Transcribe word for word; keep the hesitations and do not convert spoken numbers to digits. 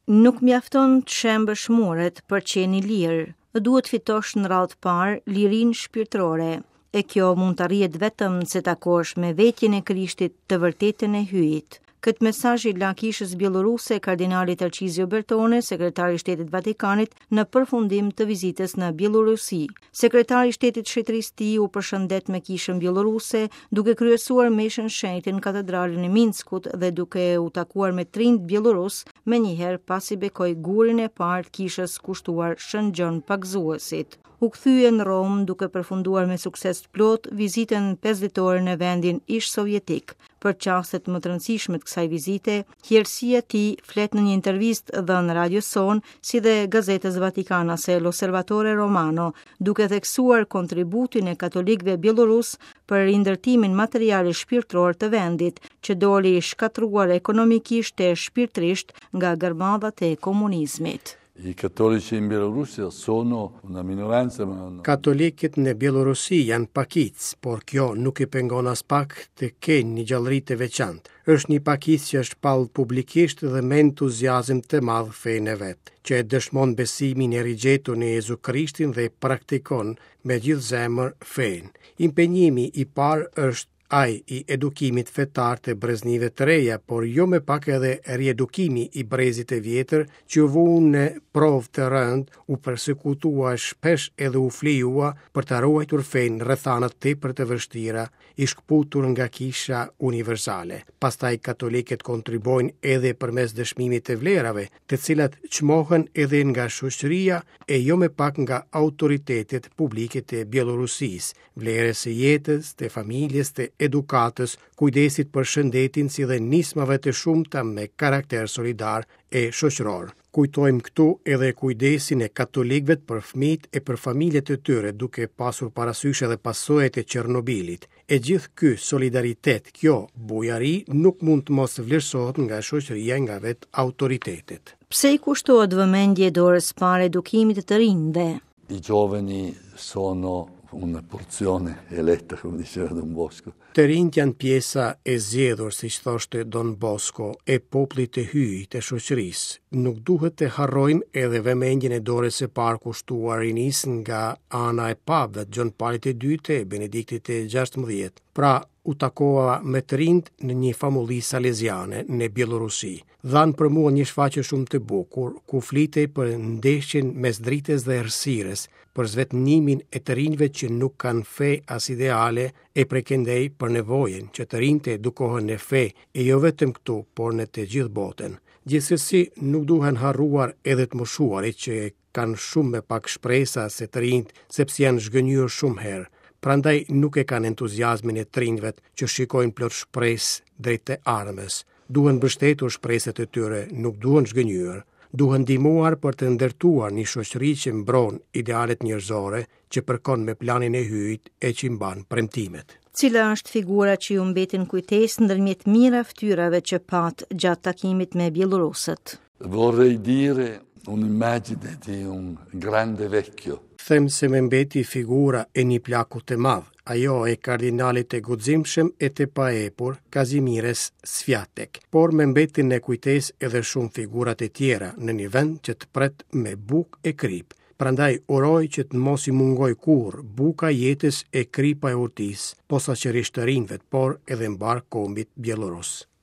Nuk mjafton të shembësh muret për qenë i lirë, duhet fitosh në radhë parë lirinë shpirtërore, e kjo mund të arrihet vetëm se takosh me vetjen e Krishtit, të vërtetën e Hyjit. Këtë mesazh i la kishës bjelloruse kardinali Tarcizio Bertone, sekretari i Shtetit Vatikanit, në përfundim të vizitës në Bjellorusi. Sekretari i Shtetit Shenjtërisë Tij u përshëndet me kishën bjelloruse, duke kryesuar meshën shenjtë në katedralën e Minskut dhe duke u takuar me të rinjtë bjellorus menjëherë pasi bekoi gurin e parë të kishës kushtuar Shën Gjon Pagëzuesit. U kthye në Romë duke përfunduar me sukses të plot vizitën pesëditore në vendin ish sovjetik. Për çastet më të rëndësishme të kësaj vizite, Hirësia e Tij flet në një intervistë dhënë radios sonë, si dhe gazetës vatikanase L'Osservatore Romano, duke theksuar kontributin e katolikëve bjellorus për rindërtimin material e shpirtëror të vendit, që doli i shkatërruar ekonomikisht e shpirtërisht nga gërmadhat e komunizmit. I cattolici in Bielorussia sono una minoranza, ma hanno Katolikët në Bjellorusi janë pakicë, por kjo nuk i pengon as pak të kenë një gjallëri të veçantë. Është një pakicë që është shpall publikisht dhe me entuziazëm të madh fenë e vet, që e dëshmon besimin e rigjetur në Jezu Krishtin dhe praktikon me gjithë zemër fenë. Impenjimi i parë është ai i edukimit fetar të breznive të reja, por jo me pak edhe riedukimi i brezit të vjetër që u vu në provë të rëndë, u persekutua shpesh edhe u flijua për të ruajtur fenë rrethanat tepër të vështira, i shkëputur nga kisha universale. Pastaj katolikët kontribuojnë edhe përmes dëshmimit të vlerave, të cilat çmohen edhe nga shoqëria e jo me pak nga autoritetet publike të Bjellorusisë, vlerës së jetës, të familjes, të edukatës, kujdesit për shëndetin si dhe nismave të shumta me karakter solidar e shoqëror. Kujtojmë këtu edhe kujdesin e katolikëve për fëmijët e për familjet e tyre, duke pasur parasysh edhe pasojat e Çernobilit. E gjithë ky solidaritet, kjo bujari nuk mund të mos vlerësohet nga shoqëria, nga vetë autoritetet. Pse i kushtohet vëmendje dorës parë edukimit të të rinjve? I giovani sono una porzione eletta, come diceva Don Bosco. Të rinjt janë pjesa e zgjedhur, siç thoshte Don Bosco, e popullit të Hyjit, e shoqërisë. Nuk duhet të harrojmë edhe vëmendjen e dorës së parë kushtuar rinisë nga ana e papëve Gjon Palit të Dytë e Benediktit të gjashtëmbëdhjetë. Pra, u takova me të rinjt në një famulli saleziane në Bjellorusi. Dhanë për mua një shfaqje shumë të bukur, ku flitej për ndeshjen mes dritës dhe errësirës, për zvetënimin e të rinjve që nuk kanë fe as ideale, e prekendej për nevojën që të rinjtë edukohen në fe, e jo vetëm këtu, por në të gjithë botën. Gjithsesi, nuk duhen harruar edhe të moshuarit që kanë shumë me pak shpresa se të rinjt, sepse janë zhgënjur shumë herë. Prandaj nuk e kanë entuziazmin e të rinjve që shikojnë plot shpresë drejt të ardhmes. Duhen mbështetur shpresat e tyre, nuk duhen zhgënjur. Duhen ndihmuar për të ndërtuar një shoqëri që mbron idealet njerëzore, që përkon me planin e Hyjit e që mban premtimet. Cila është figura që ju mbeti në kujtesë ndërmjet mijëra fytyrave që pat gjatë takimit me bjellorusët? Vorrei dire un'immagine di un grande vecchio. Them se më mbeti figura e një plaku të madh, ajo e kardinalit të guximshëm e të paepur, Kazimierz Swiatek. Por më mbeti në kujtesë edhe shumë figurat e tjera në një vend që të pret me bukë e krip. Prandaj uroj që të mos i mungoj kurrë buka e jetës e kripa e urtisë, posaçërisht të rinjve, por edhe mbar kombit bjellorus.